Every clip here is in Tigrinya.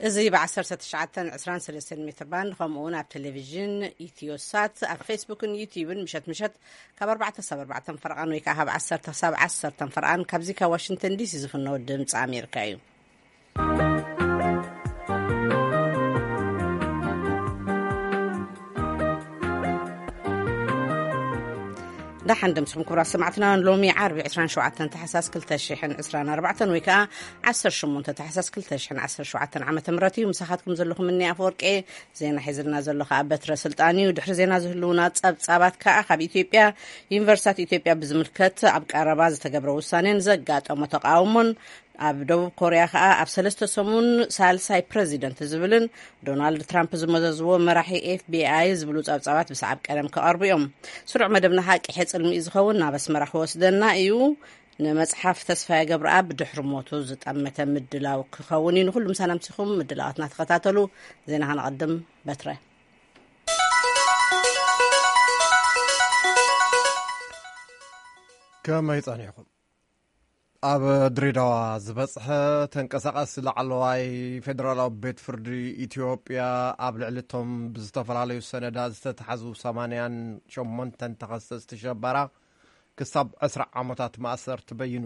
እዚ ብ1923 ሜትር ባንድ፣ ከምኡ እውን ኣብ ቴሌቪዥን ኢትዮሳት፣ ኣብ ፌስቡክን ዩቲዩብን ምሸት ምሸት ካብ ኣርባዕተ ክሳብ ኣርባዕተ ፈረቓን ወይ ከዓ ካብ ዓሰርተ ክሳብ ዓሰርተ ፈረቓን ካብዚ ካብ ዋሽንግተን ዲሲ ዝፍነው ድምፂ ኣሜሪካ እዩ። ደሓን ደምስኹም ክቡራት ሰማዕትና፣ ሎሚ ዓርቢ ዕስራን ሸውዓተን ታሕሳስ ክልተ ሽሕን ዕስራን ኣርባዕተን ወይ ከዓ ዓሰርተ ሸሞንተ ታሕሳስ ክልተ ሽሕን ዓሰርተ ሸውዓተን ዓመተ ምህረት እዩ። ምሳኻትኩም ዘለኹም እኒ ኣፈወርቄ። ዜና ሒዝልና ዘሎ ከዓ በትረ ስልጣን እዩ። ድሕሪ ዜና ዝህልውና ጸብጻባት ከዓ ካብ ኢትዮጵያ፣ ዩኒቨርሲታት ኢትዮጵያ ብዝምልከት ኣብ ቀረባ ዝተገብረ ውሳኔን ዘጋጠሞ ተቃውሞን፣ ኣብ ደቡብ ኮርያ ከዓ ኣብ ሰለስተ ሰሙን ሳልሳይ ፕረዚደንት ዝብልን ዶናልድ ትራምፕ ዝመዘዝዎ መራሒ ኤፍቢኣይ ዝብሉ ጸብጻባት ብሰዓብ ቀደም ክቐርቡ እዮም። ስሩዕ መደብና ከዓ ቂሐ ጽልሚ እዩ ዝኸውን፣ ናብ ኣስመራ ክወስደና እዩ። ንመጽሓፍ ተስፋዬ ገብረኣብ ድሕሪ ሞቱ ዝጠመተ ምድላው ክኸውን እዩ። ንኹሉ ምሳና ምሲኹም ምድላዋትና ተኸታተሉ። ዜና ከነቐድም። በትረ። ከመይ ጸኒሕኩም? ኣብ ድሬዳዋ ዝበጽሐ ተንቀሳቓሲ ላዕለዋይ ፌደራላዊ ቤት ፍርዲ ኢትዮጵያ፣ ኣብ ልዕሊ እቶም ብዝተፈላለዩ ሰነዳት ዝተታሕዙ ሰማንያን ሸሞንተን ተኸሰስቲ ሸበራ ክሳብ ዕስራ ዓመታት ማእሰርቲ በይኑ።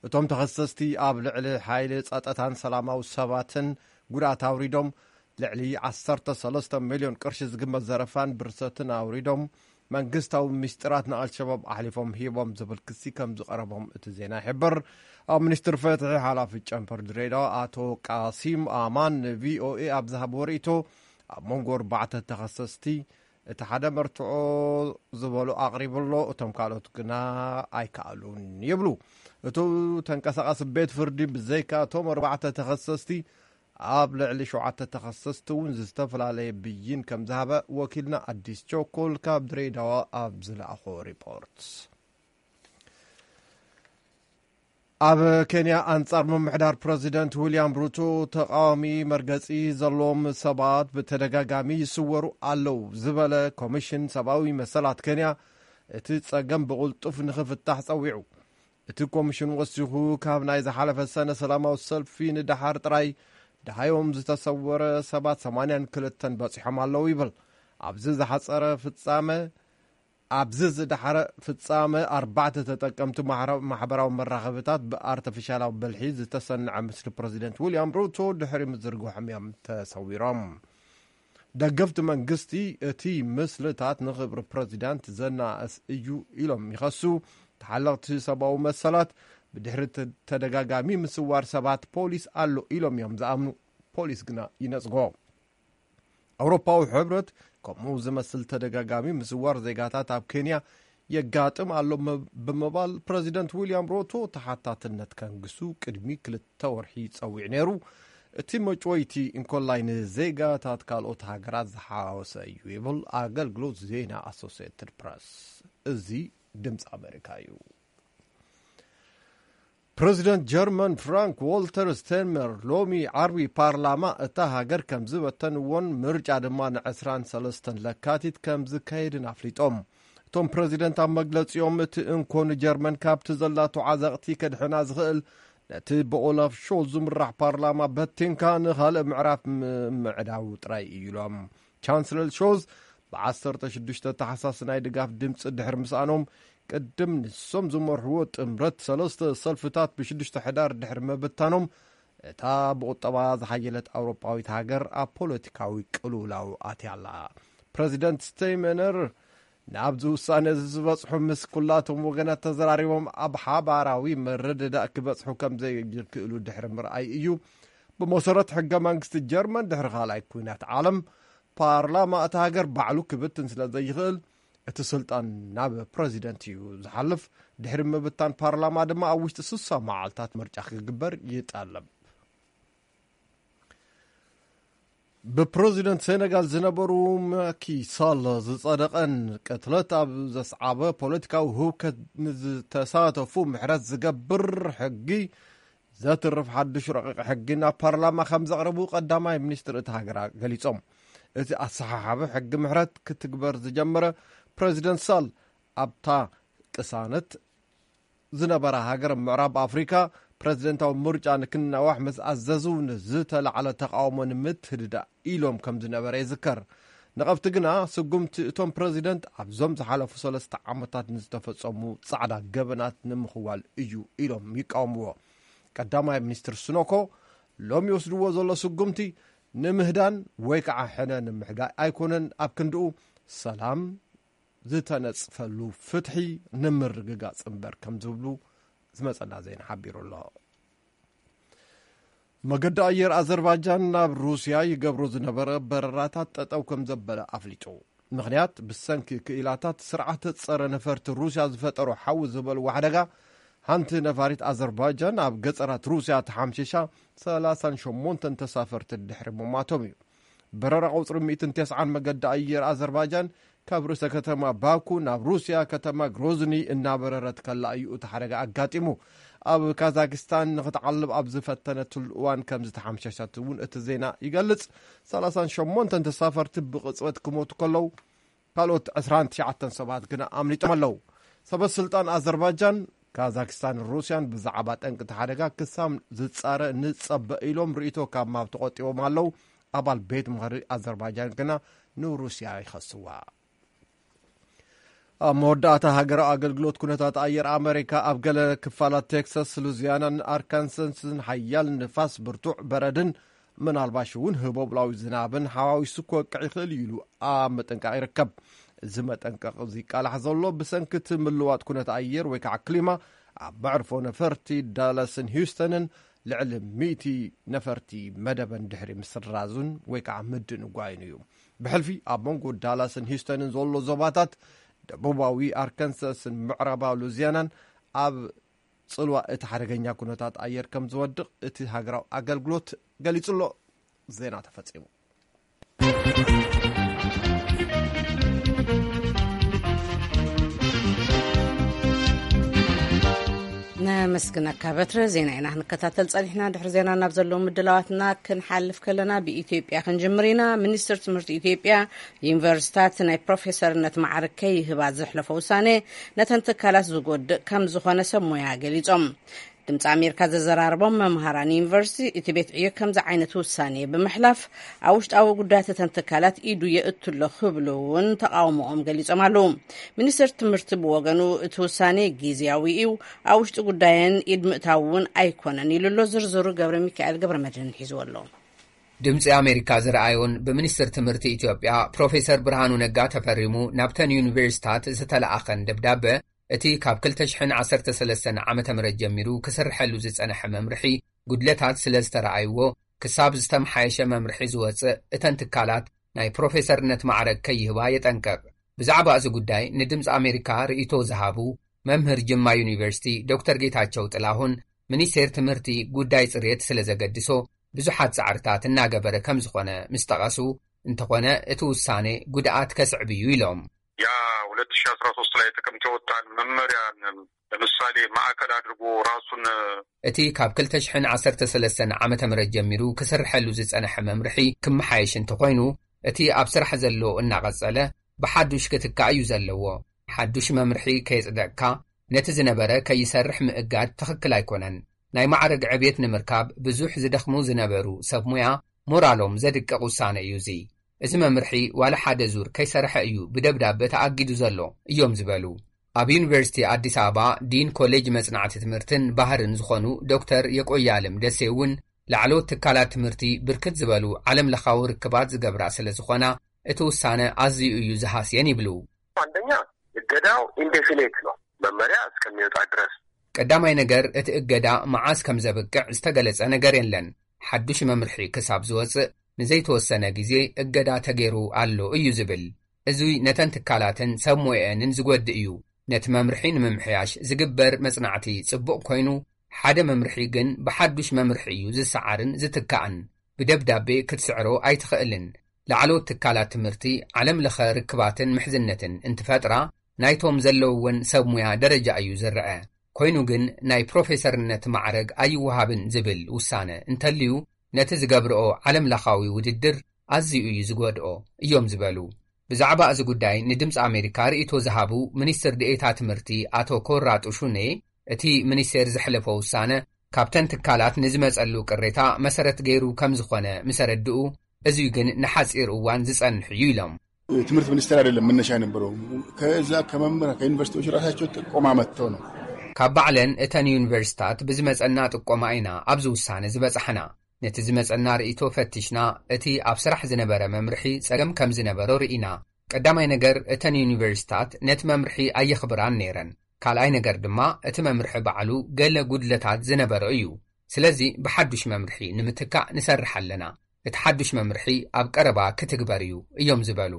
እቶም ተኸሰስቲ ኣብ ልዕሊ ሓይሊ ጸጥታን ሰላማዊ ሰባትን ጉድኣት ኣውሪዶም፣ ልዕሊ ዓሰርተ ሰለስተ ሚልዮን ቅርሺ ዝግመት ዘረፋን ብርሰትን ኣውሪዶም፣ መንግስታዊ ምስጢራት ንኣልሸባብ ኣሕሊፎም ሂቦም ዝብል ክሲ ከም ዝቐረቦም እቲ ዜና ይሕብር። ኣብ ሚኒስትሪ ፍትሒ ሓላፊ ጨንፈር ድሬዳዋ ኣቶ ቃሲም ኣማን ንቪኦኤ ኣብ ዝሃብዎ ርእይቶ፣ ኣብ መንጎ ኣርባዕተ ተኸሰስቲ እቲ ሓደ መርትዖ ዝበሎ ኣቕሪቡ ኣሎ፣ እቶም ካልኦት ግና ኣይከኣሉን ይብሉ። እቲ ተንቀሳቓሲ ቤት ፍርዲ ብዘይካ እቶም ኣርባዕተ ተኸሰስቲ ኣብ ልዕሊ ሸውዓተ ተኸሰስቲ እውን ዝተፈላለየ ብይን ከም ዝሃበ ወኪልና ኣዲስ ቸኮል ካብ ድሬዳዋ ኣብ ዝለኣኾ ሪፖርት። ኣብ ኬንያ ኣንጻር ምምሕዳር ፕረዚደንት ዊልያም ሩቶ ተቃዋሚ መርገጺ ዘለዎም ሰባት ብተደጋጋሚ ይስወሩ ኣለዉ ዝበለ ኮሚሽን ሰብኣዊ መሰላት ኬንያ፣ እቲ ጸገም ብቕልጡፍ ንኽፍታሕ ጸዊዑ። እቲ ኮሚሽን ወሲኹ፣ ካብ ናይ ዝሓለፈ ሰነ ሰላማዊ ሰልፊ ንደሓር ጥራይ ደሃዮም ዝተሰወረ ሰባት ሰማንያን ክልተን በጺሖም ኣለዉ ይብል። ኣብዚ ዝሓጸረ ፍጻመ ኣብዚ ዝደሓረ ፍጻመ ኣርባዕተ ተጠቀምቲ ማሕረ-፣ ማሕበራዊ መራኸብታት ብኣርተፊሻላዊ ብልሒ ዝተሰንዐ ምስሊ ፕረዚደንት ዊልያም ሩቶ ድሕሪ ምዝርግሖም እዮም ተሰዊሮም። ደገፍቲ መንግስቲ፣ እቲ ምስልታት ንኽብሪ ፕረዚዳንት ዘናእስ እዩ ኢሎም ይኸሱ። ተሓለቕቲ ሰብኣዊ መሰላት፣ ብድሕሪ ተ-፣ ተደጋጋሚ ምስዋር ሰባት ፖሊስ ኣሎ ኢሎም እዮም ዝኣምኑ። ፖሊስ ግና ይነጽጎ። ኣውሮፓዊ ሕብረት ከምኡ ዝመስል ተደጋጋሚ ምስዋር ዜጋታት ኣብ ኬንያ የጋጥም ኣሎ መ-፣ ብምባል ፕረዚደንት ዊልያም ሩቶ ተሓታትነት ከንግሱ ቅድሚ ክልተ ወርሒ ጸዊዑ ነይሩ። እቲ መጭወይቲ እንኮላይ ንዜጋታት ካልኦት ሃገራት ዝሓወሰ እዩ ይብል ኣገልግሎት ዜና ኣሶሲየትድ ፕረስ። እዚ ድምፂ ኣሜሪካ እዩ። ፕረዚደንት ጀርመን ፍራንክ ዎልተር ስቴንመር ሎሚ ዓርቢ ፓርላማ እታ ሃገር ከም ዝበተንዎን ምርጫ ድማ ንዕስራን ሰለስተን ለካቲት ከም ዝካየድን ኣፍሊጦም። እቶም ፕረዚደንት ኣብ መግለጺኦም፣ እቲ እንኮ ንጀርመን ካብቲ ዘላቶ ዓዘቕቲ ከድሕና ዝኽእል ነቲ ብኦላፍ ሾልዝ ዝምራሕ ፓርላማ በቲንካ ንኻልእ ምዕራፍ ምምዕዳው ጥራይ እዩ ኢሎም። ቻንስለር ሾልዝ ብ15 ታሕሳስ ናይ ድጋፍ ድምፂ ድሕሪ ምስኣኖም፣ ቅድም ንሶም ዝመርሕዎ ጥምረት ሰለስተ ሰልፍታት ብ6 ሕዳር ድሕሪ ምብታኖም፣ እታ ብቁጠባ ዝሓየለት ኣውሮጳዊት ሃገር ኣብ ፖለቲካዊ ቅልውላው ኣትያ ኣላ። ፕረዚደንት ስቴይመነር ናብዚ ውሳነ እዚ ዝበጽሑ ምስ ኩላቶም ወገናት ተዘራሪቦም ኣብ ሓባራዊ መረዳዳእ ክበጽሑ ከም ዘይክእሉ ድሕሪ ምርኣይ እዩ። ብመሰረት ሕገ መንግስቲ ጀርመን፣ ድሕሪ ካልኣይ ኲናት ዓለም ፓርላማ እታ ሃገር ባዕሉ ክብትን ስለ ዘይኽእል፣ እቲ ስልጣን ናብ ፕረዚደንት እዩ ዝሓልፍ። ድሕሪ ምብታን ፓርላማ ድማ ኣብ ውሽጢ ስሳ መዓልታት ምርጫ ክግበር ይጠልብ። ብፕረዚደንት ሴነጋል ዝነበሩ ማኪ ሳል ዝጸደቐን ቅትለት ኣብ ዘስዓበ ፖለቲካዊ ህውከት ንዝተሳተፉ ምሕረት ዝገብር ሕጊ ዘትርፍ ሓድሽ ረቂቕ ሕጊ ናብ ፓርላማ ከም ዘቕረቡ ቀዳማይ ሚኒስትር እታ ሃገር ገሊጾም። እቲ ኣሰሓሓቢ ሕጊ ምሕረት ክትግበር ዝጀመረ ፕረዚደንት ሳል ኣብታ ቅሳነት ዝነበራ ሃገር ምዕራብ ኣፍሪካ ፕረዚደንታዊ ምርጫ ንክናዋሕ ምስ ኣዘዙ፣ ንዝተላዕለ ተቓውሞ ንምትህድዳእ ኢሎም ከም ዝነበረ ይዝከር። ነቐፍቲ ግና፣ ስጉምቲ እቶም ፕረዚደንት ኣብዞም ዝሓለፉ ሰለስተ ዓመታት ንዝተፈጸሙ ጻዕዳ ገበናት ንምኽዋል እዩ ኢሎም ይቃወምዎ። ቀዳማይ ሚኒስትር ሱኖኮ፣ ሎም ይወስድዎ ዘሎ ስጉምቲ ንምህዳን ወይ ከዓ ሕነ ንምሕጋይ ኣይኮነን፣ ኣብ ክንድኡ ሰላም ዝተነጽፈሉ ፍትሒ ንምርግጋጽ እምበር ከም ዝብሉ ዝመጸና ዜና ሓቢሩ ኣሎ። መገዲ ኣየር ኣዘርባይጃን ናብ ሩስያ ይገብሮ ዝነበረ በረራታት ጠጠው ከም ዘበለ ኣፍሊጡ። ምኽንያት፣ ብሰንኪ ክኢላታት ስርዓተ ጸረ ነፈርቲ ሩስያ ዝፈጠሮ ሓዊ ዝበልዎ ሓደጋ፣ ሓንቲ ነፋሪት ኣዘርባይጃን ኣብ ገጸራት ሩስያ ተሓምሺሻ፣ ሰላሳን ሸሞንተን ተሳፈርቲ ድሕሪ ምሟቶም እዩ። በረራ ቁጽሪ ሚእትን ተስዓን መገዲ ኣየር ኣዘርባይጃን ካብ ርእሰ ከተማ ባኩ ናብ ሩስያ ከተማ ግሮዝኒ እናበረረት ከላ እዩ እቲ ሓደጋ ኣጋጢሙ። ኣብ ካዛክስታን ንክትዓልብ ኣብ ዝፈተነትሉ እዋን ከም ዝተሓምሸሸት እውን እቲ ዜና ይገልጽ። ሰላሳን ሸሞንተን ተሳፈርቲ ብቕጽበት ክሞቱ ከለዉ፣ ካልኦት ዕስራን ትሽዓተን ሰባት ግና ኣምሊጦም ኣለዉ። ሰበ ስልጣን ኣዘርባይጃን፣ ካዛክስታንን ሩስያን ብዛዕባ ጠንቂ እቲ ሓደጋ ክሳብ ዝጻረ ንጸበ ኢሎም ርእይቶ ካብ ምሃብ ተቖጢቦም ኣለዉ። ኣባል ቤት ምኽሪ ኣዘርባይጃን ግና ንሩስያ ይኸስዋ። ኣብ መወዳእታ፣ ሃገራዊ ኣገልግሎት ኩነታት ኣየር ኣመሪካ ኣብ ገለ ክፋላት ቴክሳስ፣ ሉዚያናን ኣርካንሳስን ሓያል ንፋስ፣ ብርቱዕ በረድን ምናልባሽ እውን ህቦብላዊ ዝናብን ሓዋዊሱ ክወቅዕ ይኽእል እዩ ኢሉ ኣብ ምጥንቃቕ ይርከብ። እዚ መጠንቀቕ ዝቃላሕ ዘሎ ብሰንኪ እቲ ምልዋጥ ኩነት ኣየር ወይ ከዓ ክሊማ ኣብ መዕርፎ ነፈርቲ ዳላስን ሂውስተንን ልዕሊ ሚእቲ ነፈርቲ መደበን ድሕሪ ምስራዙን ወይ ከዓ ምድንጓዩን እዩ። ብሕልፊ ኣብ መንጎ ዳላስን ሂውስተንን ዘሎ ዞባታት ደቡባዊ ኣርካንሳስን ምዕራባዊ ሉዚያናን ኣብ ጽልዋ እቲ ሓደገኛ ኩነታት ኣየር ከም ዝወድቕ እቲ ሃገራዊ ኣገልግሎት ገሊጹ ኣሎ። ዜና ተፈጺሙ። ነመስግነካ በትረ። ዜና ኢና ክንከታተል ጸኒሕና። ድሕሪ ዜና ናብ ዘለዉ ምድላዋትና ክንሓልፍ ከለና፣ ብኢትዮጵያ ክንጅምር ኢና። ሚኒስትር ትምህርቲ ኢትዮጵያ፣ ዩኒቨርሲታት ናይ ፕሮፌሰርነት ማዕርግ ከይህባ ዘሕለፎ ውሳኔ፣ ነተን ትካላት ዝጎድእ ከም ዝኾነ ሰብ ሞያ ገሊጾም። ድምፂ ኣሜሪካ ዘዘራረቦም መምሃራን ዩኒቨርሲቲ፣ እቲ ቤት ዕዮ ከምዚ ዓይነት ውሳኔ ብምሕላፍ፣ ኣብ ውሽጣዊ ጉዳያት እተን ትካላት ኢዱ የእቱ ኣሎ ክብሉ እውን ተቃውሞኦም ገሊጾም ኣለዉ። ሚኒስትር ትምህርቲ ብወገኑ፣ እቲ ውሳኔ ግዝያዊ እዩ፣ ኣብ ውሽጢ ጉዳየን ኢድ ምእታው እውን ኣይኮነን ኢሉ ኣሎ። ዝርዝሩ ገብረ ሚካኤል ገብረ መድህን ሒዝዎ ኣሎ። ድምፂ ኣሜሪካ ዝረኣዮን ብሚኒስትር ትምህርቲ ኢትዮጵያ ፕሮፌሰር ብርሃኑ ነጋ ተፈሪሙ ናብተን ዩኒቨርሲታት ዝተለኣኸን ደብዳበ፣ እቲ ካብ ክልተ ሽሕን ዓሰርተ ሰለስተን ዓመተ ምህረት ጀሚሩ ክስርሐሉ ዝጸንሐ መምርሒ ጉድለታት ስለ ዝተረኣይዎ፣ ክሳብ ዝተመሓየሸ መምርሒ ዝወጽእ፣ እተን ትካላት ናይ ፕሮፌሰርነት ማዕረግ ከይህባ የጠንቅቕ። ብዛዕባ እዚ ጉዳይ ንድምፂ ኣሜሪካ ርእይቶ ዝሃቡ መምህር ጅማ ዩኒቨርሲቲ ዶክተር ጌታቸው ጥላሁን፣ ሚኒስቴር ትምህርቲ ጉዳይ ጽሬት ስለ ዘገድሶ ብዙሓት ጻዕርታት እናገበረ ከም ዝኾነ ምስ ጠቐሱ፣ እንተኾነ እቲ ውሳኔ ጉድኣት ከስዕብ እዩ ኢሎም። ያ ሁለት ሺህ አስራ ሶስት ላይ ጥቅምት የወጣን መመሪያን ለምሳሌ ማዕከል አድርጎ ራሱን እቲ ካብ ክልተ ሽሕን ዓሰርተ ሰለስተን ዓመተ ምህረት ጀሚሩ ክስርሐሉ ዝጸንሐ መምርሒ ክመሓየሽ እንተኾይኑ፣ እቲ ኣብ ስራሕ ዘሎ እናቐጸለ ብሓዱሽ ክትካእ እዩ ዘለዎ። ሓዱሽ መምርሒ ከየጽደቕካ ነቲ ዝነበረ ከይሰርሕ ምእጋድ ትኽክል ኣይኮነን። ናይ ማዕረግ ዕብየት ንምርካብ ብዙሕ ዝደኽሙ ዝነበሩ ሰብ ሙያ ሞራሎም ዘድቅቕ ውሳነ እዩ እዚ። እዚ መምርሒ ዋላ ሓደ ዙር ከይሰርሐ እዩ ብደብዳበ ተኣጊዱ ዘሎ እዮም ዝበሉ። ኣብ ዩኒቨርሲቲ ኣዲስ ኣበባ ዲን ኮሌጅ መጽናዕቲ ትምህርትን ባህርን ዝኾኑ ዶክተር የቆያለም ደሴ እውን፣ ላዕለዎት ትካላት ትምህርቲ ብርክት ዝበሉ ዓለም ለኻዊ ርክባት ዝገብራ ስለ ዝኾና፣ እቲ ውሳነ ኣዝዩ እዩ ዝሃስየን ይብሉ። አንደኛ እገዳው ኢንዴፊኔት ነው፣ መመሪያ እስከሚወጣ ድረስ። ቀዳማይ ነገር፣ እቲ እገዳ መዓስ ከም ዘብቅዕ ዝተገለጸ ነገር የለን። ሓዱሽ መምርሒ ክሳብ ዝወጽእ ንዘይተወሰነ ግዜ እገዳ ተገይሩ ኣሎ እዩ ዝብል። እዚ ነተን ትካላትን ሰብ ሞየአንን ዝጎድእ እዩ። ነቲ መምርሒ ንምምሕያሽ ዝግበር መጽናዕቲ ጽቡቕ ኮይኑ፣ ሓደ መምርሒ ግን ብሓዱሽ መምርሒ እዩ ዝሰዓርን ዝትካእን። ብደብዳቤ ክትስዕሮ ኣይትኽእልን። ላዕለዎት ትካላት ትምህርቲ ዓለም ለኸ ርክባትን ምሕዝነትን እንትፈጥራ፣ ናይቶም ዘለውወን ሰብ ሙያ ደረጃ እዩ ዝረአ። ኮይኑ ግን ናይ ፕሮፌሰርነት ማዕረግ ኣይወሃብን ዝብል ውሳነ እንተልዩ፣ ነቲ ዝገብርኦ ዓለም ለኻዊ ውድድር ኣዝዩ እዩ ዝጎድኦ እዮም ዝበሉ። ብዛዕባ እዚ ጉዳይ ንድምፂ ኣሜሪካ ርእይቶ ዝሃቡ ሚኒስትር ዴኤታ ትምህርቲ ኣቶ ኮራ ጡሹኔ፣ እቲ ሚኒስቴር ዘሕለፎ ውሳነ ካብተን ትካላት ንዝመጸሉ ቅሬታ መሰረት ገይሩ ከም ዝኾነ ምስ ኣረድኡ፣ እዙይ ግን ንሓጺር እዋን ዝጸንሕ እዩ ኢሎም። ትምህርት ሚኒስቴር አይደለም መነሻ የነበረው። ከዛ ከመምህራን ከዩኒቨርሲቲዎች ራሳቸው ጥቆማ መጥተው ነው። ካብ ባዕለን እተን ዩኒቨርሲታት ብዝመጸና ጥቆማ ኢና ኣብዚ ውሳነ ዝበጻሕና። ነቲ ዝመጸና ርእይቶ ፈቲሽና፣ እቲ ኣብ ስራሕ ዝነበረ መምርሒ ጸገም ከም ዝነበሮ ርኢና። ቀዳማይ ነገር፣ እተን ዩኒቨርሲታት ነቲ መምርሒ ኣየኽብራን ነይረን። ካልኣይ ነገር ድማ፣ እቲ መምርሒ ባዕሉ ገለ ጉድለታት ዝነበሮ እዩ። ስለዚ ብሓዱሽ መምርሒ ንምትካእ ንሰርሕ ኣለና። እቲ ሓዱሽ መምርሒ ኣብ ቀረባ ክትግበር እዩ እዮም ዝበሉ።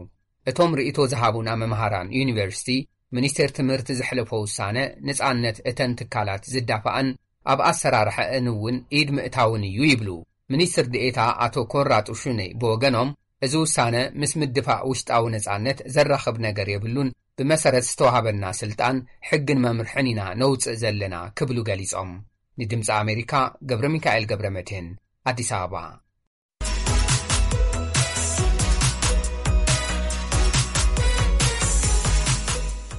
እቶም ርእይቶ ዝሃቡና መምሃራን ዩኒቨርሲቲ፣ ሚኒስቴር ትምህርቲ ዘሕለፎ ውሳነ ንጻነት እተን ትካላት ዝዳፋእን ኣብ ኣሰራርሐአን እውን ኢድ ምእታውን እዩ ይብሉ። ሚኒስትር ዴኤታ ኣቶ ኮራጡ ሹኔ ብወገኖም፣ እዚ ውሳነ ምስ ምድፋእ ውሽጣዊ ነጻነት ዘራኽብ ነገር የብሉን፣ ብመሰረት ዝተዋሃበና ስልጣን ሕግን መምርሕን ኢና ነውፅእ ዘለና ክብሉ ገሊጾም። ንድምፂ ኣሜሪካ ገብረ ሚካኤል ገብረ መድህን ኣዲስ ኣበባ።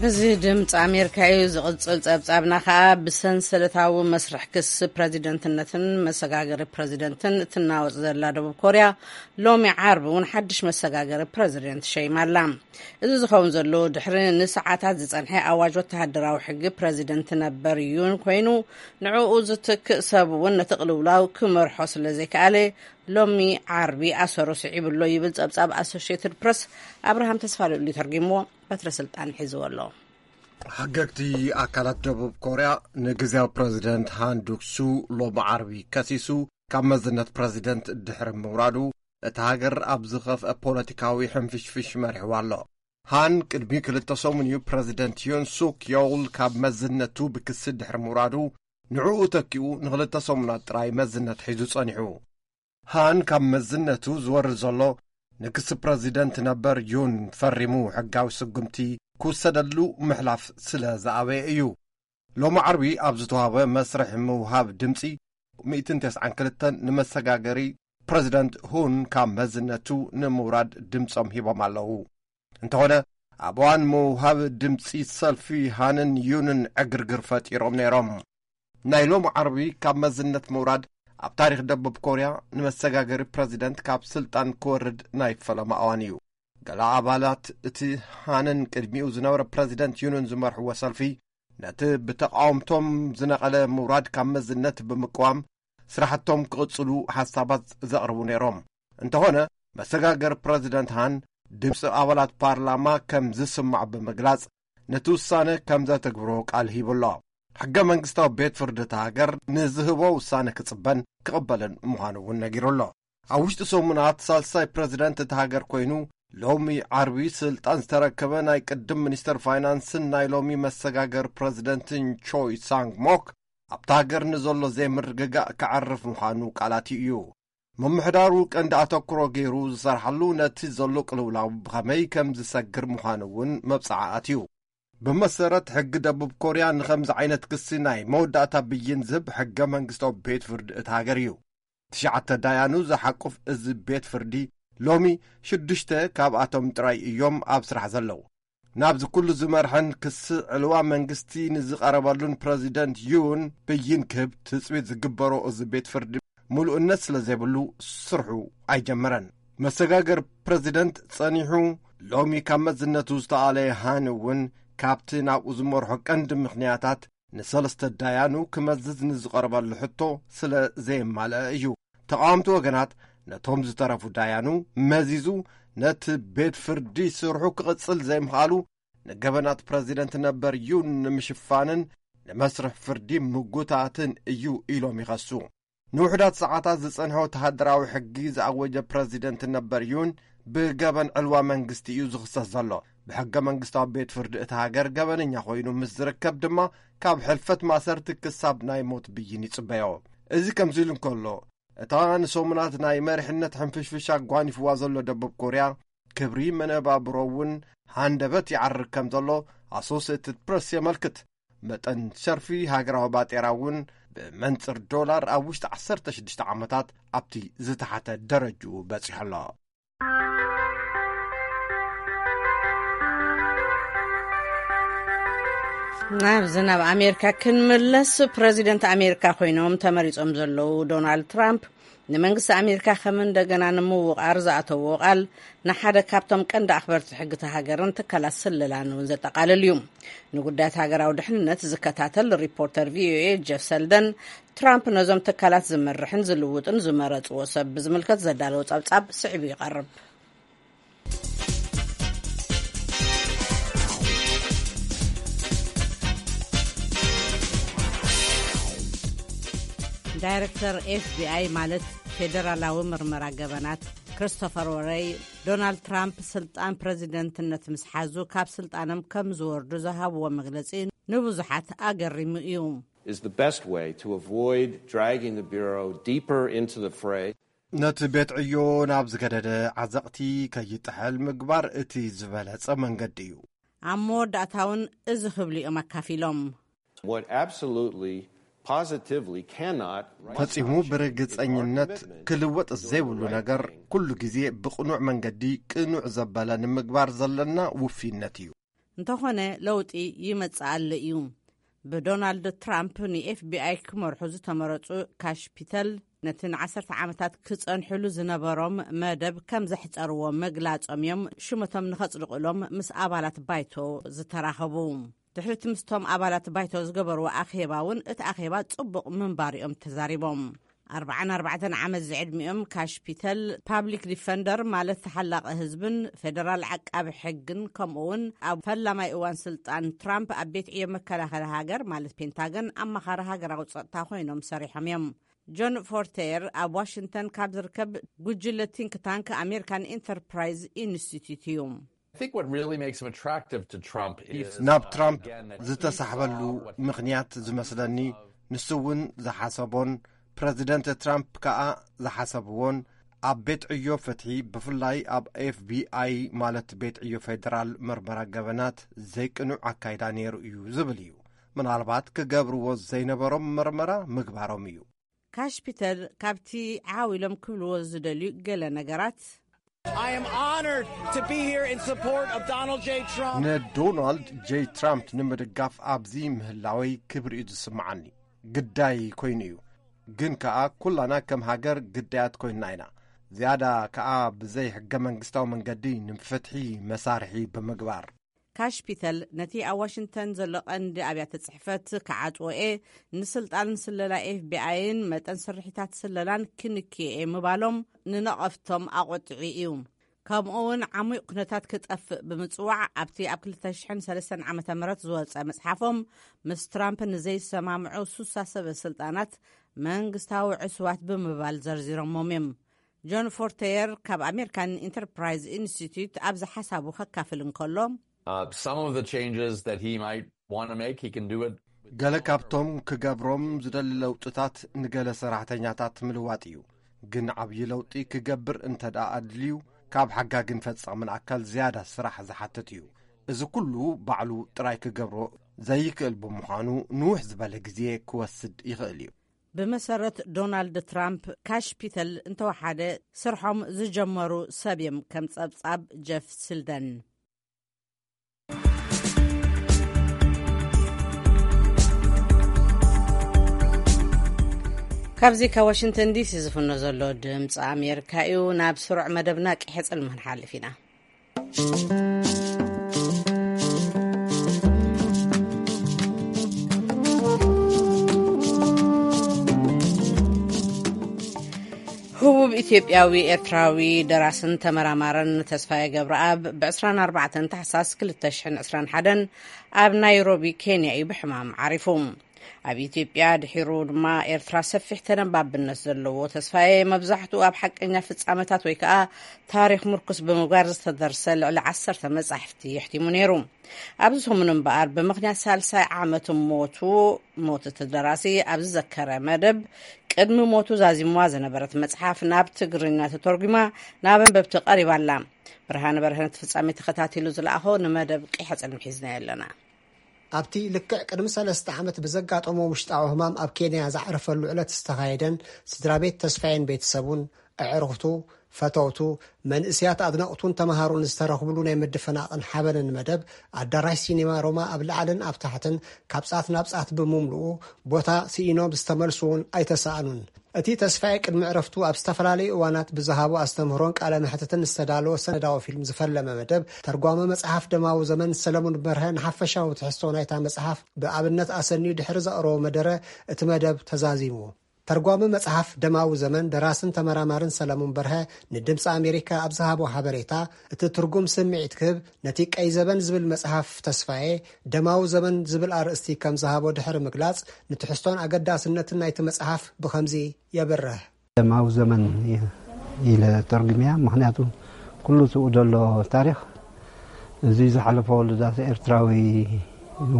እዚ ድምፂ ኣሜሪካ እዩ። ዝቕፅል ፀብፃብና ከዓ ብሰንሰለታዊ መስርሕ ክሲ ፕረዚደንትነትን መሰጋገሪ ፕረዚደንትን እትናወፅ ዘላ ደቡብ ኮርያ ሎሚ ዓርቢ እውን ሓድሽ መሰጋገሪ ፕረዚደንት ሸይማ ኣላ። እዚ ዝኸውን ዘሎ ድሕሪ ንሰዓታት ዝፀንሐ ኣዋጅ ወተሃደራዊ ሕጊ ፕረዚደንት ነበር ዩን ኮይኑ ንዕኡ ዝትክእ ሰብ እውን ነቲ ቅልውላው ክመርሖ ስለ ዘይከኣለ ሎሚ ዓርቢ ኣሰሩ ስዒቡ ኣሎ ይብል ፀብፃብ ኣሶሽየትድ ፕረስ። ኣብርሃም ተስፋልኡሊ ተርጊምዎ በትረ ስልጣን ሒዝዎ ኣሎ። ሓገግቲ ኣካላት ደቡብ ኮርያ ንግዜያዊ ፕረዚደንት ሃን ዱክሱ ሎሚ ዓርቢ ከሲሱ ካብ መዝነት ፕረዚደንት ድሕሪ ምውራዱ እታ ሃገር ኣብ ዝኸፍአ ፖለቲካዊ ሕንፍሽፍሽ መሪሕዋ ኣሎ። ሃን ቅድሚ ክልተ ሰሙን እዩ ፕረዚደንት ዮን ሱክ ዮል ካብ መዝነቱ ብክሲ ድሕሪ ምውራዱ ንዕኡ ተኪኡ ንክልተ ሰሙናት ጥራይ መዝነት ሒዙ ጸኒሑ። ሃን ካብ መዝነቱ ዝወርድ ዘሎ ንክሲ ፕረዚደንት ነበር ዩን ፈሪሙ ሕጋዊ ስጉምቲ ክውሰደሉ ምሕላፍ ስለ ዝኣበየ እዩ። ሎሚ ዓርቢ ኣብ ዝተዋህበ መስርሕ ምውሃብ ድምፂ ሚእትን ተስዓን ክልተን ንመሰጋገሪ ፕረዚደንት ሁን ካብ መዝነቱ ንምውራድ ድምፆም ሂቦም ኣለዉ። እንተኾነ ኣብ እዋን ምውሃብ ድምፂ ሰልፊ ሃንን ዩንን ዕግርግር ፈጢሮም ነይሮም። ናይ ሎሚ ዓርቢ ካብ መዝነት ምውራድ ኣብ ታሪኽ ደቡብ ኮርያ ንመሰጋገሪ ፕረዚደንት ካብ ስልጣን ክወርድ ናይ ፈለማ እዋን እዩ። ገለ ኣባላት እቲ ሃንን ቅድሚኡ ዝነበረ ፕረዚደንት ዩንን ዝመርሕዎ ሰልፊ ነቲ ብተቃወምቶም ዝነቐለ ምውራድ ካብ መዝነት ብምቅዋም ስራሕቶም ክቕጽሉ ሓሳባት ዘቕርቡ ነይሮም። እንተኾነ መሰጋገሪ ፕረዚደንት ሃን ድምፂ ኣባላት ፓርላማ ከም ዝስማዕ ብምግላጽ ነቲ ውሳነ ከም ዘተግብሮ ቃል ሂቡ ኣሎ። ሕገ መንግስታዊ ቤት ፍርዲ እታ ሃገር ንዝህቦ ውሳነ ክጽበን ክቕበልን ምዃኑ እውን ነጊሩ ኣሎ። ኣብ ውሽጢ ሰሙናት ሳልሳይ ፕረዚደንት እታ ሃገር ኮይኑ ሎሚ ዓርቢ ስልጣን ዝተረከበ ናይ ቅድም ሚኒስተር ፋይናንስን ናይ ሎሚ መሰጋገር ፕረዚደንትን ቾይ ሳንግ ሞክ ኣብታ ሃገር ንዘሎ ዘይምርግጋእ ከዕርፍ ምዃኑ ቃላት እዩ። ምምሕዳሩ ቀንዲ ኣተኩሮ ገይሩ ዝሰርሓሉ ነቲ ዘሎ ቅልውላው ብኸመይ ከም ዝሰግር ምዃኑ እውን መብጽዓ ኣትዩ። ብመሰረት ሕጊ ደቡብ ኮርያ ንኸምዚ ዓይነት ክሲ ናይ መወዳእታ ብይን ዝህብ ሕገ መንግስታዊ ቤት ፍርዲ እቲ ሃገር እዩ። ትሽዓተ ዳያኑ ዝሓቁፍ እዚ ቤት ፍርዲ ሎሚ ሽዱሽተ ካብኣቶም ጥራይ እዮም ኣብ ስራሕ ዘለዉ። ናብዚ ኩሉ ዝመርሐን ክሲ ዕልዋ መንግስቲ ንዝቐረበሉን ፕረዚደንት ዩን ብይን ክህብ ትጽቢት ዝግበሮ እዚ ቤት ፍርዲ ምሉእነት ስለ ዘይብሉ ስርሑ ኣይጀመረን። መሰጋገር ፕረዚደንት ጸኒሑ ሎሚ ካብ መዝነቱ ዝተኣለየ ሃን እውን ካብቲ ናብኡ ዝመርሖ ቀንዲ ምኽንያታት ንሰለስተ ዳያኑ ክመዝዝ ንዝቐረበሉ ሕቶ ስለ ዘየማልአ እዩ። ተቓወምቲ ወገናት ነቶም ዝተረፉ ዳያኑ መዚዙ ነቲ ቤት ፍርዲ ስርሑ ክቕጽል ዘይምኽኣሉ ንገበናት ፕረዚደንት ነበር ዩን ንምሽፋንን ንመስርሕ ፍርዲ ምጉታትን እዩ ኢሎም ይኸሱ። ንውሕዳት ሰዓታት ዝጸንሐ ወተሃደራዊ ሕጊ ዝኣወጀ ፕረዚደንት ነበር ዩን ብገበን ዕልዋ መንግስቲ እዩ ዝኽሰስ ዘሎ። ብሕገ መንግስታዊ ቤት ፍርዲ እቲ ሃገር ገበነኛ ኮይኑ ምስ ዝርከብ ድማ ካብ ሕልፈት ማሰርቲ ክሳብ ናይ ሞት ብይን ይጽበዮ። እዚ ከምዚ ኢሉ እንከሎ እታ ንሰሙናት ናይ መሪሕነት ሕንፍሽፍሽ ኣጓኒፍዋ ዘሎ ደቡብ ኮርያ ክብሪ መነባብሮ እውን ሃንደበት ይዓርግ ከም ዘሎ ኣሶሴትድ ፕረስ የመልክት። መጠን ሸርፊ ሃገራዊ ባጤራ እውን ብመንፅር ዶላር ኣብ ውሽጢ ዓሰርተ ሽዱሽተ ዓመታት ኣብቲ ዝተሓተ ደረጅኡ በፂሑ ኣሎ። ናብዚ ናብ ኣሜሪካ ክንምለስ፣ ፕረዚደንት ኣሜሪካ ኮይኖም ተመሪጾም ዘለዉ ዶናልድ ትራምፕ፣ ንመንግስቲ ኣሜሪካ ከም እንደገና ንምውቓር ዝኣተዎ ቃል፣ ንሓደ ካብቶም ቀንዲ ኣኽበርቲ ሕግቲ ሃገርን ትካላት ስለላን እውን ዘጠቓልል እዩ። ንጉዳያት ሃገራዊ ድሕንነት ዝከታተል ሪፖርተር ቪ ኦ ኤ ጀፍ ሰልደን፣ ትራምፕ ነዞም ትካላት ዝመርሕን ዝልውጥን ዝመረጽዎ ሰብ ብዝምልከት ዘዳለዎ ጸብጻብ ስዒቡ ይቐርብ። ዳይረክተር ኤፍ ቢ ኣይ፣ ማለት ፌደራላዊ ምርመራ ገበናት፣ ክሪስቶፈር ወረይ፣ ዶናልድ ትራምፕ ስልጣን ፕረዚደንትነት ምስ ሓዙ ካብ ስልጣኖም ከም ዝወርዱ ዝሃብዎ መግለጺ ንብዙሓት ኣገሪሙ እዩ። Is the best way to avoid dragging the Bureau deeper into the fray. ነቲ ቤት ዕዮ ናብ ዝገደደ ዓዘቕቲ ከይጥሕል ምግባር እቲ ዝበለጸ መንገዲ እዩ። ኣብ መወዳእታውን እዚ ክብሉ እዮም ኣካፊሎም። What absolutely, positively cannot ፈጺሙ ብርግጸኝነት ክልወጥ ዘይብሉ ነገር፣ ኩሉ ግዜ ብቕኑዕ መንገዲ ቅኑዕ ዘበለ ንምግባር ዘለና ውፊነት እዩ። እንተኾነ ለውጢ ይመጽእ ኣሎ እዩ። ብዶናልድ ትራምፕ ን ኤፍ ቢ ኣይ ክመርሑ ዝተመረጹ ካሽ ፒተል፣ ነቲ ንዓሰርተ ዓመታት ክጸንሕሉ ዝነበሮም መደብ ከም ዘሕጸርዎ ምግላጾም እዮም ሽመቶም ንኸጽድቑሎም ምስ ኣባላት ባይቶ ዝተራኸቡ። ድሕሪቲ ምስቶም ኣባላት ባይቶ ዝገበርዎ ኣኼባ እውን እቲ ኣኼባ ጽቡቕ ምንባሩ እዮም ተዛሪቦም። ኣርባዓን ኣርባዕተን ዓመት ዝዕድሚኦም ካሽ ፒተል፣ ፓብሊክ ዲፈንደር ማለት ተሓላቒ ህዝብን ፌደራል ዓቃቢ ሕግን፣ ከምኡ እውን ኣብ ፈላማይ እዋን ስልጣን ትራምፕ ኣብ ቤት ዕዮ መከላኸሊ ሃገር ማለት ፔንታገን ኣማኻሪ ሃገራዊ ጸጥታ ኮይኖም ሰሪሖም እዮም። ጆን ፎርቴር ኣብ ዋሽንግተን ካብ ዝርከብ ጉጅለ ቲንክ ታንክ ኣሜሪካን ኢንተርፕራይዝ ኢንስቲትዩት እዩ። I think what really makes him attractive to Trump is, ናብ uh, ትራምፕ again, that he ዝተሳሕበሉ saw what he ምኽንያት ዝመስለኒ፣ ንሱ እውን ዝሓሰቦን ፕረዚደንት ትራምፕ ከኣ ዝሓሰብዎን፣ ኣብ ቤት ዕዮ ፍትሒ፣ ብፍላይ ኣብ ኤፍ ቢ ኣይ ማለት ቤት ዕዮ ፌደራል መርመራ ገበናት ዘይቅኑዕ ኣካይዳ ነይሩ እዩ ዝብል እዩ። ምናልባት ክገብርዎ ዘይነበሮም መርመራ ምግባሮም እዩ። ካሽ ፒተል ካብቲ ዓው ኢሎም ክብልዎ ዝደልዩ ገለ ነገራት። I am honored to be here in support of Donald J. Trump. ንዶናልድ ጄ ትራምፕ ንምድጋፍ ኣብዚ ምህላወይ ክብሪ እዩ ዝስምዓኒ። ግዳይ ኮይኑ እዩ። ግን ከኣ ኩላና ከም ሃገር ግዳያት ኮይንና ኢና። ዝያዳ ከኣ ብዘይ ሕገ መንግስታዊ መንገዲ ንፍትሒ መሳርሒ ብምግባር። ካሽ ፒተል ነቲ ኣብ ዋሽንግተን ዘሎ ቀንዲ ኣብያተ ጽሕፈት ክዓጽዎ እየ፣ ንስልጣንን ስለላ ኤፍ ቢ ኣይን መጠን ስርሒታት ስለላን ክንክዮ እየ ምባሎም ንነቐፍቶም ኣቖጢዑ እዩ። ከምኡ እውን ዓሙቕ ኩነታት ክጠፍእ ብምጽዋዕ ኣብቲ ኣብ ክልተ ሽሕን ሰለስተን ዓመተ ምህረት ዝወጸ መጽሓፎም፣ ምስ ትራምፕ ንዘይሰማምዑ ሱሳ ሰበ ስልጣናት መንግስታዊ ዕሱባት ብምባል ዘርዚሮሞም እዮም። ጆን ፎርተየር ካብ ኣሜሪካን ኢንተርፕራይዝ ኢንስቲትዩት ኣብዚ ሓሳቡ ከካፍል እንከሎ፣ Uh, some of the changes that he might want to make, he can do it. ገለ ካብቶም ክገብሮም ዝደሊ ለውጥታት ንገለ ሰራሕተኛታት ምልዋጥ እዩ። ግን ዓብዪ ለውጢ ክገብር እንተ ደኣ ኣድልዩ፣ ካብ ሓጋግን ፈጻምን ኣካል ዝያዳ ስራሕ ዝሓትት እዩ። እዚ ኩሉ ባዕሉ ጥራይ ክገብሮ ዘይክእል ብምዃኑ፣ ንውሕ ዝበለ ግዜ ክወስድ ይኽእል እዩ። ብመሰረት ዶናልድ ትራምፕ፣ ካሽ ፒተል እንተወሓደ ስርሖም ዝጀመሩ ሰብ እዮም፣ ከም ጸብጻብ ጀፍ ስልደን። ካብዚ ካብ ዋሽንግተን ዲ ሲ ዝፍኖ ዘሎ ድምፂ ኣሜሪካ እዩ። ናብ ስሩዕ መደብና ቂሐ ጽልሚ ክንሓልፍ ኢና። ህቡብ ኢትዮጵያዊ ኤርትራዊ ደራስን ተመራማርን ተስፋዬ ገብረኣብ ብ ዕስራን ኣርባዕተን ታሕሳስ ክልተ ሽሕን ዕስራን ሓደን ኣብ ናይሮቢ ኬንያ እዩ ብሕማም ዓሪፉ። ኣብ ኢትዮጵያ ድሒሩ ድማ ኤርትራ ሰፊሕ ተነባብነት ዘለዎ ተስፋዬ መብዛሕትኡ ኣብ ሓቀኛ ፍጻመታት ወይ ከኣ ታሪኽ ምርኩስ ብምግባር ዝተደርሰ ልዕሊ ዓሰርተ መጻሕፍቲ የሕቲሙ ነይሩ። ኣብዚ ሰሙን እምበኣር ብምኽንያት ሳልሳይ ዓመት ሞቱ፣ ሞት እቲ ደራሲ ኣብ ዝዘከረ መደብ፣ ቅድሚ ሞቱ ዛዚምዋ ዝነበረት መጽሓፍ ናብ ትግርኛ ተተርጒማ ናብ ኣንበብቲ ቀሪባ ኣላ። ብርሃነ በርሀ ነቲ ፍጻሜ ተኸታቲሉ ዝለኣኾ ንመደብ ቂሐ ጽልሚ ሒዝናዮ ኣለና። ኣብቲ ልክዕ ቅድሚ ሰለስተ ዓመት ብዘጋጠሞ ውሽጣዊ ህማም ኣብ ኬንያ ዝዓረፈሉ ዕለት ዝተኻየደን ስድራ ቤት ተስፋዬን ቤተሰቡን፣ ኣዕሩኽቱ፣ ፈተውቱ፣ መንእስያት ኣድነቕቱን ተመሃሮን ዝተረኽብሉ ናይ ምድፍናቕን ሓበንን መደብ፣ ኣዳራሽ ሲኔማ ሮማ ኣብ ላዕልን ኣብ ታሕትን ካብ ጻት ናብ ጻት ብምምልኡ፣ ቦታ ስኢኖም ዝተመልሱ እውን ኣይተሳእኑን። እቲ ተስፋዬ ቅድሚ ዕረፍቱ ኣብ ዝተፈላለዩ እዋናት ብዝሃቦ ኣስተምህሮን ቃለ መሕትትን ዝተዳለወ ሰነዳዊ ፊልም ዝፈለመ መደብ፣ ተርጓሚ መጽሓፍ ደማዊ ዘመን ሰለሙን በርሀ ንሓፈሻዊ ትሕዝቶ ናይታ መጽሓፍ ብኣብነት ኣሰንዩ ድሕሪ ዘቕረቦ መደረ፣ እቲ መደብ ተዛዚሙ። ተርጓሚ መጽሓፍ ደማዊ ዘመን፣ ደራስን ተመራማርን ሰለሙን በርሀ ንድምፂ ኣሜሪካ ኣብ ዝሃቦ ሓበሬታ፣ እቲ ትርጉም ስምዒት ክህብ ነቲ ቀይ ዘበን ዝብል መጽሓፍ ተስፋዬ፣ ደማዊ ዘመን ዝብል ኣርእስቲ ከም ዝሃቦ ድሕሪ ምግላጽ፣ ንትሕዝቶን ኣገዳስነትን ናይቲ መጽሓፍ ብኸምዚ የብርህ። ደማዊ ዘመን ኢለ ተርጉምያ። ምኽንያቱ ኩሉ ትኡ ዘሎ ታሪኽ፣ እዚ ዝሓለፈ ወለዳት ኤርትራዊ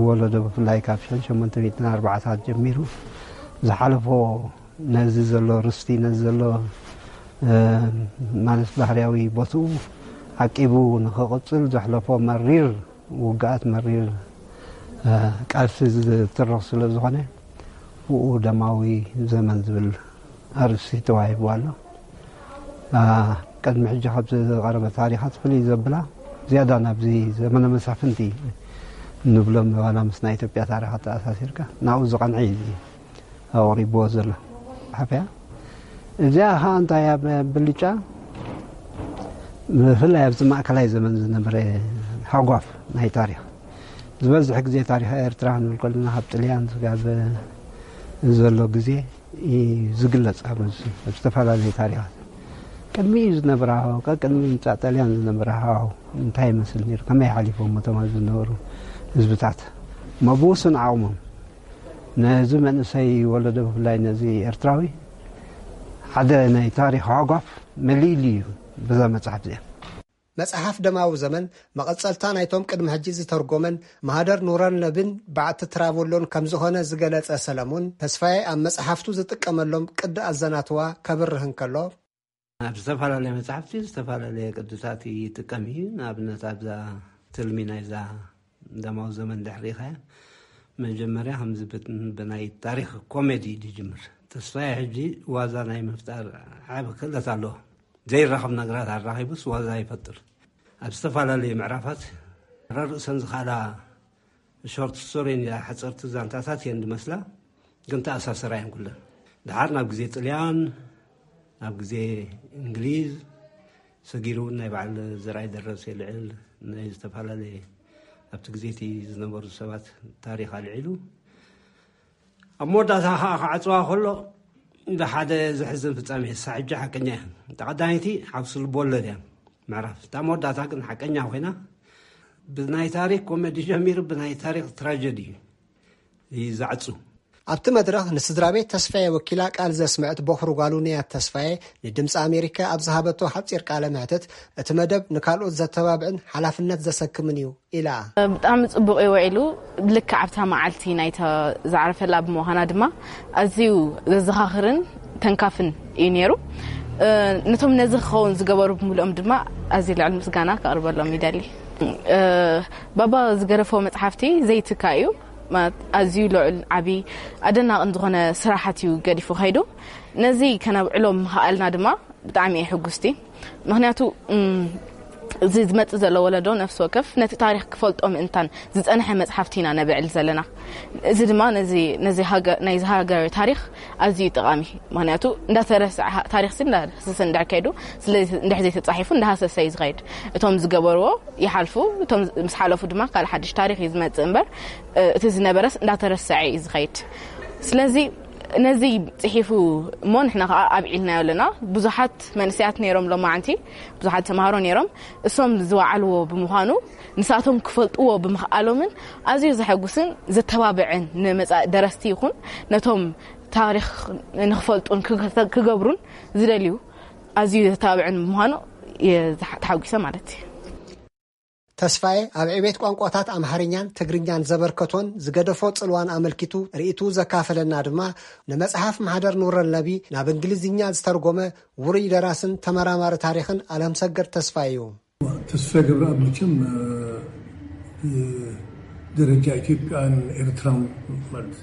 ወለዶ፣ ብፍላይ ካብ ሽሕን ሸሞንተ ሚእትን ኣርባዓታት ጀሚሩ ዝሓለፎ፣ ነዚ ዘሎ ርስቲ፣ ነዚ ዘሎ፣ እ፣ ማለት ባህርያዊ ቦትኡ ዓቂቡ ንኽቕጽል ዘሕለፎ መሪር ውግኣት፣ መሪር፣ እ፣ ቃልሲ ዝትርኽ ስለ ዝኾነ፣ ብኡ ደማዊ ዘመን ዝብል ኣርእስቲ ተዋሂቡ ኣሎ። እ፣ ቅድሚ ሕጂ ካብ ዝቐረበ ታሪኻት ፍልይ ዘብላ፣ ዝያዳ ናብዚ ዘመነ መሳፍንቲ ንብሎም፣ ዋላ ምስ ናይ ኢትዮጵያ ታሪኻት ተኣሳሲርካ፣ ናብኡ ዝቐንዐ እዩ እዚ ኣቕሪብዎ ዘሎ ሓፈያ። እዚኣ ኸዓ እንታይ እያ ብልጫ? ብፍላይ ኣብዚ ማእከላይ ዘመን ዝነበረ ሃጓፍ ናይ ታሪኽ፣ ዝበዝሕ ግዜ ታሪኽ ኤርትራ ክንብል ከለና ካብ ጥልያን ስጋብ ዘሎ ግዜ እዩ ዝግለጽ። ኣብ ዝተፈላለዩ ታሪኻት ቅድሚኡ ዝነበረ ሃዋው፣ ቀቅድሚ ምምጻእ ጣልያን ዝነበረ ሃዋው እንታይ ይመስል ነይሩ? ከመይ ሓሊፎም እቶም ኣብዚ ዝነበሩ ህዝብታት? እሞ ብውሱን ዓቕሞም ነዚ መንእሰይ ወለዶ፣ ብፍላይ ነዚ ኤርትራዊ፣ ሓደ ናይ ታሪኽ ሃጓፍ መሊእሉ እዩ በዛ መጽሓፍ እዚኣ። መጽሓፍ ደማዊ ዘመን መቐጸልታ ናይቶም ቅድሚ ሕጂ ዝተርጎመን ማህደር ኑረልነቢን ባዕቲ ትራቮሎን ከም ዝኾነ ዝገለጸ ሰለሙን፣ ተስፋዬ ኣብ መጽሓፍቱ ዝጥቀመሎም ቅዲ ኣዘናትዋ ከብርህ እንከሎ፣ ኣብ ዝተፈላለየ መጽሓፍቲ ዝተፈላለየ ቅድታት ይጥቀም እዩ። ንኣብነት ኣብዛ ትልሚ ናይዛ ደማዊ ዘመን ድሕሪ ኢኻያ፣ መጀመርያ ከምዚ ብ-፣ ብናይ ታሪኽ ኮሜዲ እዩ ዝጅምር። ተስፋዬ ሕጂ ዋዛ ናይ ምፍጣር ዓቢ ክእለት ኣለዎ። ዘይራኸብ ነገራት ኣራኺቡስ ዋዛ ይፈጥር። ኣብ ዝተፈላለዩ ምዕራፋት ረርእሰን ዝኻላ ሾርት ስቶሪ እየን፣ ሓፀርቲ ዛንታታት እየን ዝመስላ፣ ግን ተኣሳሰራ እየን ኩለን። ድሓር ናብ ግዜ ጥልያን፣ ናብ ግዜ እንግሊዝ፣ ሰጊሩ እውን ናይ በዓል ዘርኣይ ደረሰ ልዕል ናይ ዝተፈላለየ ኣብቲ ግዜ እቲ ዝነበሩ ሰባት ታሪኽ ኣልዒሉ፣ ኣብ መወዳእታ ኸዓ ክዓጽዋ ከሎ፣ እንደ ሓደ ዘሕዝን ፍጻሜ፣ እሳ ሕጂ ሓቀኛ እያ። እታ ቀዳመይቲ ሓውሲ ልብ ወለድ እያ፣ ምዕራፍ። እታ መወዳእታ ግን ሓቀኛ ኮይና፣ ብናይ ታሪኽ ኮሜዲ ጀሚሩ፣ ብናይ ታሪኽ ትራጀዲ እዩ ዝዓጹ። ኣብቲ መድረኽ ንስድራ ቤት ተስፋዬ ወኪላ ቃል ዘስምዐት ቦኽሪ ጓሉ ንያት ተስፋዬ፣ ንድምፂ ኣሜሪካ ኣብ ዝሃበቶ ሓጺር ቃለ መሕትት፣ እቲ መደብ ንካልኦት ዘተባብዕን ሓላፍነት ዘሰክምን እዩ ኢላ። ብጣዕሚ ጽቡቕ እዩ ውዒሉ። ልክዕ ኣብታ መዓልቲ ናይታ ዝዓረፈላ ብምዃና ድማ ኣዝዩ ዘዘኻኽርን ተንካፍን እዩ ነይሩ። እ፣ ነቶም ነዚ ክኸውን ዝገበሩ ብምልኦም ድማ ኣዝዩ ልዑል ምስጋና ከቕርበሎም ይደሊ። እ፣ ባባ ዝገደፎ መጽሓፍቲ ዘይትካ እዩ። ማለት ኣዝዩ ልዑል፣ ዓቢ፣ ኣደናቕን ዝኾነ ስራሓት እዩ ገዲፉ ከይዱ። ነዚ ከነብዕሎ ምኽኣልና ድማ ብጣዕሚ እየ ሕጉስቲ። ምኽንያቱ፣ እም፣ እዚ ዝመጽእ ዘሎ ወለዶ ነፍሲ ወከፍ ነቲ ታሪኽ ክፈልጦ ምእንታን ዝጸንሐ መጽሓፍቲ ኢና ነብዕል ዘለና። እዚ ድማ ነዚ፣ ነዚ ሃገ-፣ ናይዚ ሃገር ታሪኽ ኣዝዩ ጠቓሚ። ምኽንያቱ እንዳተረስዐ ሃ-፣ ታሪኽሲ እንዳሃሰሰ እንድሕር ከይዱ፣ ስለ እንድሕር ዘይተጻሒፉ እንዳሃሰሰ እዩ ዝኸይድ። እቶም ዝገበርዎ ይሓልፉ፣ እቶም ምስ ሓለፉ ድማ ካልእ ሓድሽ ታሪኽ እዩ ዝመጽእ እምበር፣ እ፣ እቲ ዝነበረስ እንዳተረስዐ እዩ ዝኸይድ። ስለዚ ነዚ ጽሒፉ እሞ ንሕና ከኣ ኣብዒልናዮ ኣለና። ብዙሓት መንእሰያት ነይሮም ሎማዓንቲ፣ ብዙሓት ተምሃሮ ነይሮም። እሶም ዝወዓልዎ ብምዃኑ፣ ንሳቶም ክፈልጥዎ ብምኽኣሎምን ኣዝዩ ዘሐጉስን ዘተባብዕን፣ ንመጻኢ ደረስቲ ይኹን ነቶም ታሪኽ ንኽፈልጡን ክገ-፣ ክገብሩን ዝደልዩ ኣዝዩ ዘተባብዕን ብምዃኑ እየ ዝሓ-፣ ተሓጒሰ ማለት እዩ። ተስፋዬ ኣብ ዕቤት ቋንቋታት ኣምሓርኛን ትግርኛን ዘበርከቶን ዝገደፎ ጽልዋን ኣመልኪቱ ርእይትኡ ዘካፈለና ድማ፣ ንመጽሓፍ ማሕደር ኑረልነቢ ናብ እንግሊዝኛ ዝተርጎመ ውሩይ ደራስን ተመራማሪ ታሪኽን ኣለምሰገድ ተስፋዬ እዩ። ተስፋዬ ገብረኣብ መቸም፣ እ፣ ብደረጃ ኢትዮጵያን ኤርትራን ማለት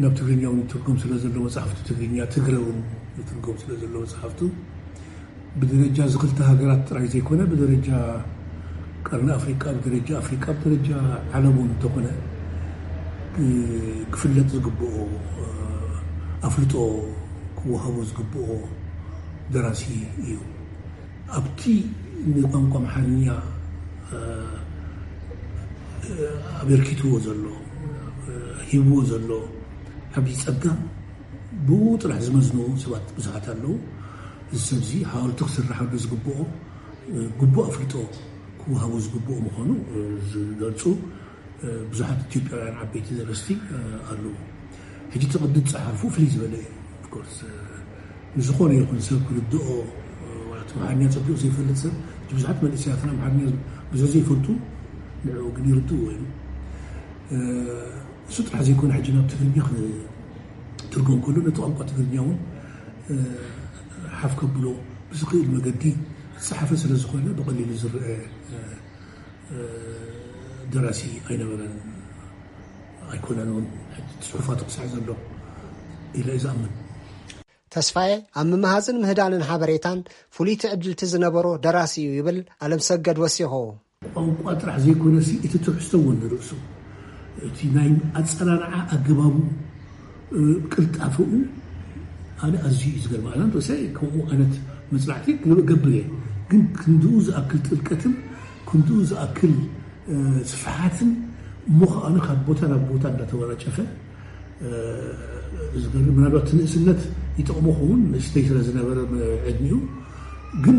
ናብ ትግርኛ እውን ይትርጎም ስለ ዘሎ መጽሓፍቱ፣ ትግርኛ ትግረ እውን ይትርጎም ስለ ዘሎ መጽሓፍቱ፣ ብደረጃ እዚ ክልተ ሃገራት ጥራይ ዘይኮነ፣ ብደረጃ ቀርኒ ኣፍሪቃ፣ ብደረጃ ኣፍሪቃ፣ ብደረጃ ዓለም እውን እንተኾነ፣ እ፣ ክፍለጥ ዝግብኦ፣ እ፣ ኣፍልጦ ክወሃቦ ዝግብኦ ደራሲ እዩ። ኣብቲ ንቋንቋ ኣምሓርኛ፣ እ፣ እ፣ ኣበርኪትዎ ዘሎ፣ እ፣ ሂብዎ ዘሎ ዓብዪ ጸጋ፣ ብኡ ጥራሕ ዝመዝንዎ ሰባት ብዙሓት ኣለዉ። እዚ ሰብ እዚ ሓወልቲ ክስራሓሉ ዝግብኦ፣ እ፣ ግቡእ ኣፍልጦ ክወሃቦ ዝግብኦ ምዃኑ፣ እ፣ ዝገልጹ፣ እ፣ ብዙሓት ኢትዮጵያውያን ዓበይቲ ደረስቲ፣ እ፣ ኣለዉ። ሕጂ እቲ ቅዲ ዝጸሓፉ ፍልይ ዝበለ እዩ። Of course፣ እ፣ ንዝኾነ ይኹን ሰብ ክርድኦ፣ እ፣ ዋላ እቲ ኣምሓርኛ ጸቢቑ ዘይፈልጥ ሰብ፣ እቲ ብዙሓት መንእሰያትና ኣምሓርኛ ብዙሕ ዘይፈልጡ፣ ንዕኡ ግን ይርድእዎ እዮም። እ፣ እሱ ጥራሕ ዘይኮነ፣ ሕጂ ናብ ትግርኛ ክትርጎም ከሎ፣ ነቲ ቋንቋ ትግርኛ እውን፣ እ፣ ሓፍ ከብሎ ብዝኽእል መገዲ ዝጸሓፈ ስለ ዝኾነ፣ ብቐሊሉ ዝረአ፣ እ፣ እ፣ ደራሲ ኣይነበረን፣ ኣይኮነን እውን። ሕጂ ጽሑፋቱ ክሳዕ ዘሎ ኢለ እየ ዝኣምን። ተስፋዬ ኣብ ምምሃዝን ምህዳንን ሓበሬታን ፍሉይ ትዕድልቲ ዝነበሮ ደራሲ እዩ ይብል ኣለምሰገድ ወሲኹ። ቋንቋ ጥራሕ ዘይኮነሲ፣ እቲ ትሕዝቶ እውን ንርእሱ፣ እቲ ናይ ኣጸራርዓ ኣገባቡ፣ እ፣ ቅልጣፈኡ፣ ኣነ ኣዝዩ እዩ ዝገርም። ኣነ እንተወሰ ከምኡ ዓይነት መጽናዕቲ ክገብር እየ፣ ግን ክንድኡ ዝኣክል ጥልቀትን ክንድኡ ዝኣክል፣ እ፣ ስፍሓትን፣ እሞ ከኣ ካብ ቦታ ናብ ቦታ እንዳተወራጨፈ፣ እ፣ ዝገርም፣ ምናልባት እቲ ንእስነት ይጠቕሞ ክኸውን፣ ንእሽተይ ስለ ዝነበረ ዕድሚኡ፣ ግን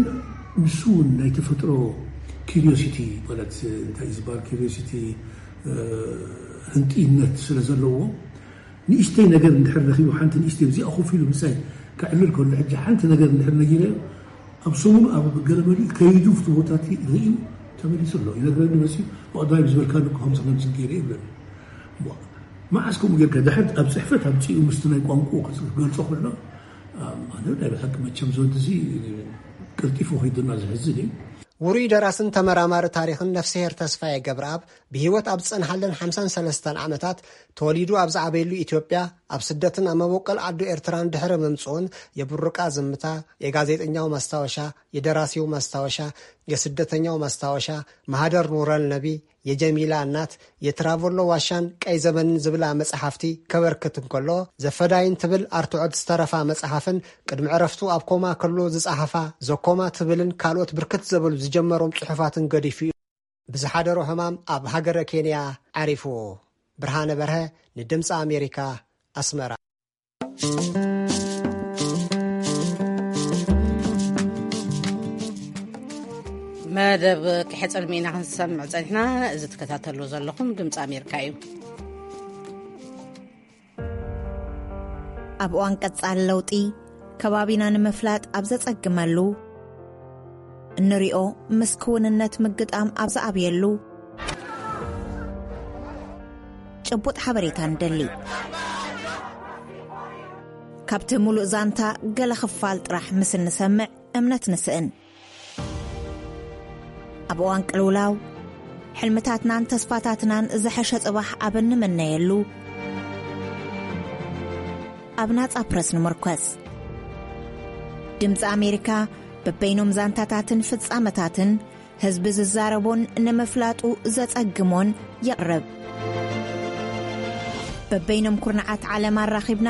ንሱ እውን ናይ ተፈጥሮ ኪሪዮሲቲ፣ ማለት እንታይ እዩ ዝበሃል፣ ኪሪዮሲቲ፣ እ፣ ህንጥይነት ስለ ዘለዎ፣ ንእሽተይ ነገር እንድሕር ረኺቡ፣ ሓንቲ ንእሽተይ፣ እዚኣ ኮፍ ኢሉ ምሳይ ከዕልል ከሎ፣ ሕጂ ሓንቲ ነገር እንድሕር ነጊረዮ፣ ኣብ ሰሙኑ ኣብ ገለ መሊኡ ከይዱ፣ ኣብቲ ቦታ እቲ ርእዩ ተመሊሱ ኣሎ። ይነግረኒ መሲሉ፣ "ብቐዳማይ ብዝበልካኒ እኮ ከምዚ ከምዚ ገይረ" ይብለኒ። ዋ፣ መዓስ ከምኡ ጌርካ? ድሕር ኣብ ጽሕፈት ኣምጺኡ ምስቲ ናይ ቋንቋኡ ክገልጾ ከሎ፣ ኣም፣ ኣነ ናይ ብሓቂ መቸም እዚ ወዲ እዚ ቀልጢፉ ከይዱና፣ ዘሕዝን እዩ። ውሩይ ደራስን ተመራማሪ ታሪኽን ነፍስሄር ተስፋዬ ገብረኣብ ብህይወት ኣብ ዝጸንሓለን ሓምሳን ሰለስተን ዓመታት፣ ተወሊዱ ኣብ ዝዓበየሉ ኢትዮጵያ፣ ኣብ ስደትን ኣብ መበቆል ዓዱ ኤርትራን ድሕሪ ምምጽኡን፣ የብሩቃ ዝምታ፣ የጋዜጠኛው ማስታወሻ፣ የደራሲው ማስታወሻ፣ የስደተኛው ማስታወሻ፣ ማህደር ኑረል ነቢ፣ የጀሚላ እናት፣ የትራቮሎ ዋሻን ቀይ ዘመንን ዝብላ መጽሓፍቲ ከበርክት እንከሎ፣ ዘፈዳይን ትብል ኣርትዖት ዝተረፋ መጽሓፍን፣ ቅድሚ ዕረፍቱ ኣብ ኮማ ከሎ ዝጸሓፋ ዘኮማ ትብልን ካልኦት ብርክት ዘበሉ ዝጀመሮም ጽሑፋትን ገዲፉ እዩ። ብዝሓደሮ ሕማም ኣብ ሃገረ ኬንያ ዓሪፉ። ብርሃነ በርሀ፣ ንድምፂ ኣሜሪካ፣ ኣስመራ። መደብ ቅሐ ጽልሚ ኢና ክንሰምዕ ጸኒሕና። እዚ ትከታተሉ ዘለኹም ድምፂ ኣሜሪካ እዩ። ኣብ እዋን ቀጻሊ ለውጢ፣ ከባቢና ንምፍላጥ ኣብ ዘጸግመሉ፣ እንሪኦ ምስ ክውንነት ምግጣም ኣብ ዝኣብየሉ፣ ጭቡጥ ሓበሬታ ንደሊ። ካብቲ ሙሉእ ዛንታ ገለ ክፋል ጥራሕ ምስ እንሰምዕ እምነት ንስእን። ኣብ እዋን ቅልውላው፣ ሕልምታትናን ተስፋታትናን ዝሐሸ ጽባሕ ኣብ እንምነየሉ፣ ኣብ ናጻ ፕረስ ንምርኮስ። ድምፂ ኣሜሪካ በበይኖም ዛንታታትን ፍጻመታትን ህዝቢ ዝዛረቦን ንምፍላጡ ዘጸግሞን የቕርብ። በበይኖም ኩርናዓት ዓለም ኣራኺብና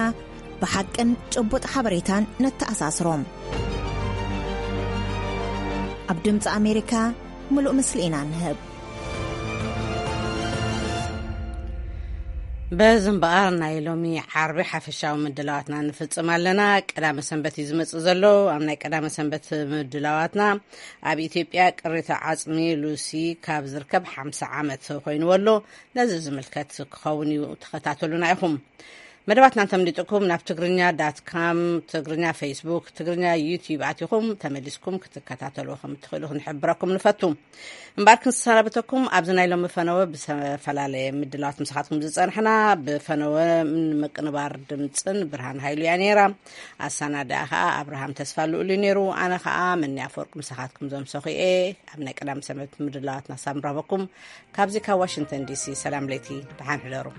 ብሓቅን ጭቡጥ ሓበሬታን ነተኣሳስሮም። ኣብ ድምፂ ኣሜሪካ ምሉእ ምስሊ ኢና ንህብ። በዚ እምበኣር ናይ ሎሚ ዓርቢ ሓፈሻዊ ምድላዋትና ንፍጽም ኣለና። ቀዳመ ሰንበት እዩ ዝመጽእ ዘሎ። ኣብ ናይ ቀዳመ ሰንበት ምድላዋትና ኣብ ኢትዮጵያ ቅሪተ ዓጽሚ ሉሲ ካብ ዝርከብ ሓምሳ ዓመት ኮይኑ ኣሎ። ነዚ ዝምልከት ክኸውን እዩ፣ ተኸታተሉና ኢኹም። መደባትና እንተምሊጥኩም ናብ ትግርኛ ዳት ካም፣ ትግርኛ ፌስቡክ፣ ትግርኛ ዩቲዩብ ኣቲኹም ተመሊስኩም ክትከታተልዎ ከም እትኽእሉ ክንሕብረኩም ንፈቱ። እምበኣር ክንሰናበተኩም ኣብዚ ናይ ሎሚ ፈነወ ብዝተፈላለየ ምድላዋት ምሳኻትኩም ዝጸንሕና፣ ብፈነወ ንምቅንባር ድምጽን ብርሃን ሃይሉ እያ ነይራ። ኣሰናድኣ ኸኣ ኣብርሃም ተስፋ ልኡል እዩ ነይሩ። ኣነ ኸኣ መኒ ኣፈወርቅ ምሳኻትኩም ዘምሰኹ እየ። ኣብ ናይ ቀዳም ሰንበት ምድላዋትና ሳብ ንረኽበኩም ካብዚ ካብ ዋሽንግተን ዲሲ ሰላም ለይቲ፣ ደሓን ሕደሩ።